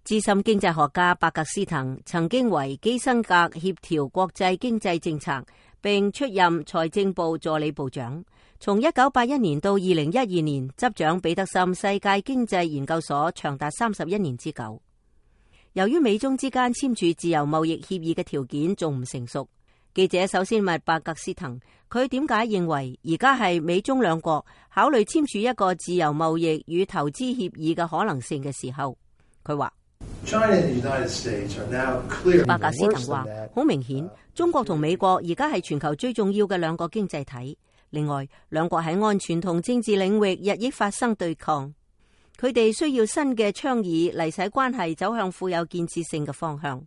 資深經濟學家伯格斯滕曾經為基辛格協調國際經濟政策，並出任財政部助理部長。從1981年到2012年執掌彼得森世界經濟研究所，長達31年之久。由於美中之間簽署自由貿易協議嘅條件仲唔成熟，記者首先問伯格斯滕，佢點解認為而家係美中兩國考慮簽署一個自由貿易與投資協議嘅可能性嘅時候。佢話伯格斯滕話，好明顯，中國同美國而家係全球最重要嘅兩個經濟體。另外，兩國喺安全同政治領域日益發生對抗，佢哋需要新嘅倡議嚟使關係走向富有建設性嘅方向。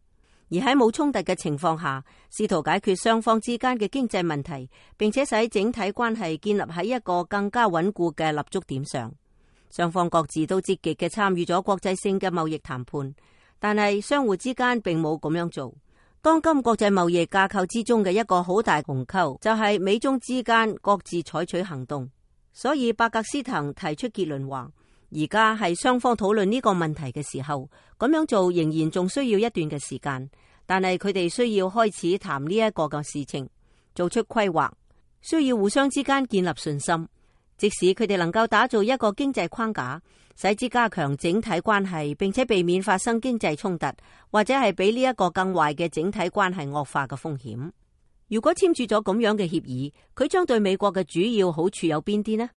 而喺冇衝突嘅情況下，試圖解決雙方之間嘅經濟問題，並且使整體關係建立喺一個更加穩固嘅立足點上。雙方各自都積極嘅參與咗國際性嘅貿易談判，但係相互之間並冇咁樣做。當今國際貿易架構之中嘅一個好大鴻溝，就係美中之間各自採取行動。所以伯格斯滕提出結論話，而家係雙方討論呢個問題嘅時候，咁樣做仍然仲需要一段嘅時間，但係佢哋需要開始談呢一個嘅事情，做出規劃，需要互相之間建立信心。即使佢哋能夠打造一個經濟框架，使之加強整體關係，並且避免發生經濟衝突，或者係比呢一個更壞嘅整體關係惡化嘅風險。如果簽署咗咁樣嘅協議，佢將對美國嘅主要好處有邊啲呢？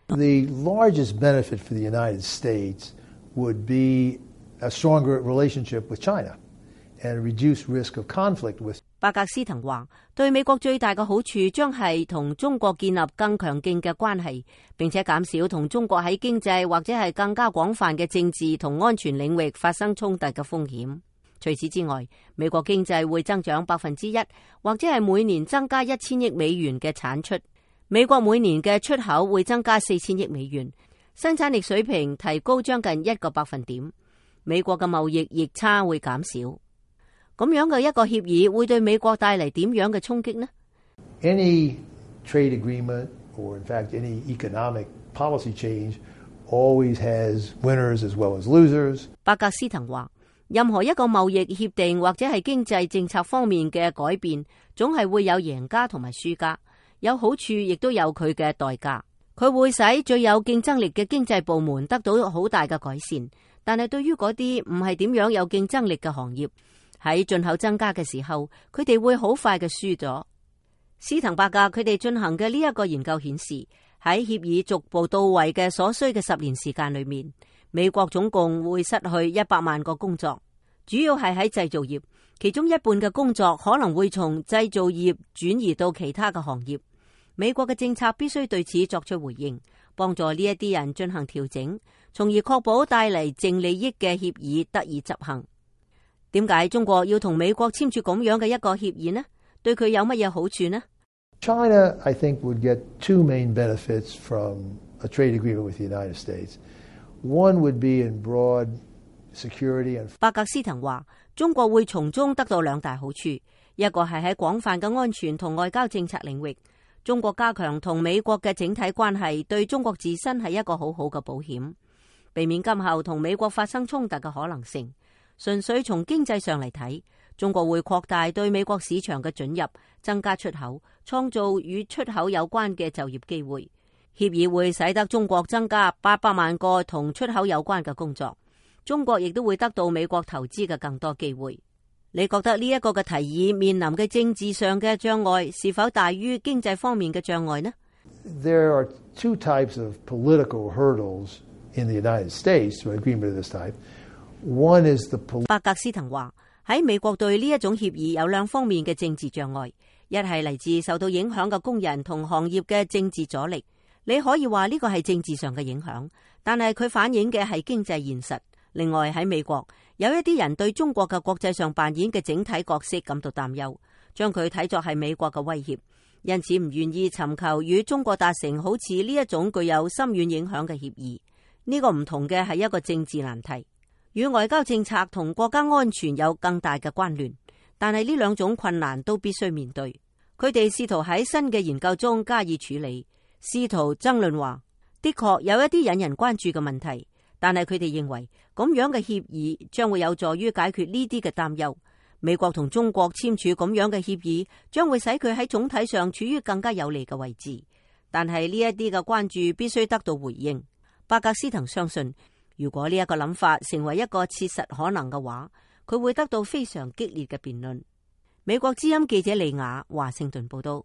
The largest benefit for the United States would be a stronger relationship with China and reduce risk of conflict with. 伯格斯滕話，對美國最大嘅好處將係同中國建立更強勁嘅關係，並且減少同中國喺經濟或者係更加廣泛嘅政治同安全領域發生衝突嘅風險。除此之外，美國經濟會增長1%，或者係每年增加1000億美元嘅產出。美國每年嘅出口會增加4000億美元，生產力水平提高將近1個百分點。美國嘅貿易逆差會減少。咁樣嘅一個協議會對美國帶嚟點樣嘅衝擊呢？ Any trade agreement or in fact any economic policy change always has winners as well as losers. 伯格斯滕話，任何一個貿易協定或者係經濟政策方面嘅改變，總係會有贏家同埋輸家，有好處亦都有佢嘅代價。佢會使最有競爭力嘅經濟部門得到好大嘅改善，但係對於嗰啲唔係點樣有競爭力嘅行業，喺進口增加嘅時候，佢哋會好快嘅輸咗。斯滕伯格佢哋進行嘅呢一個研究顯示，喺協議逐步到位嘅所需嘅10年時間裏面，美國總共會失去100萬個工作，主要係喺製造業，其中一半嘅工作可能會從製造業轉移到其他嘅行業。美國嘅政策必須對此作出回應，幫助呢一啲人進行調整，從而確保帶嚟淨利益嘅協議得以執行。點解中國要同美國簽署咁樣嘅一個協議呢？對佢有乜嘢好處呢？ China, I think, would get two main benefits from a trade agreement with the United States. One would be in broad security and. 伯格斯滕話，中國會從中得到2大好處，一個係喺廣泛嘅安全同外交政策領域，中國加強同美國嘅整體關係，對中國自身係一個好好嘅保險，避免今後同美國發生衝突嘅可能性。純粹從經濟上嚟睇，中國會擴大對美國市場嘅准入，增加出口，創造與出口有關嘅就業機會。協議會使得中國增加800萬個同出口有關嘅工作，中國亦都會得到美國投資嘅更多機會。你覺得呢一個嘅提議面臨嘅政治上嘅障礙是否大於經濟方面嘅障礙呢？ There are two types of political hurdles in the United States to an agreement of this type. One is the 伯格斯滕話，喺美國對呢一種協議有2方面嘅政治障礙，一係嚟自受到影響嘅工人同行業嘅政治阻力。你可以話呢個係政治上嘅影響，但係佢反映嘅係經濟現實。另外喺美國，有一啲人對中國嘅國際上扮演嘅整體角色感到擔憂，將佢睇作係美國嘅威脅，因此唔願意尋求與中國達成好似呢一種具有深遠影響嘅協議。呢個唔同嘅係一個政治難題，與外交政策同國家安全有更大嘅關聯，但係呢2種困難都必須面對。佢哋試圖喺新嘅研究中加以處理，試圖爭論話，的確有一啲引人關注嘅問題，但係佢哋認為咁樣嘅協議將會有助於解決呢啲嘅擔憂。美國同中國簽署咁樣嘅協議，將會使佢喺總體上處於更加有利嘅位置。但係呢一啲嘅關注必須得到回應。巴格斯滕相信，如果呢一個諗法成為一個切實可能嘅話，佢會得到非常激烈嘅辯論。美國之音記者利亞華盛頓報道。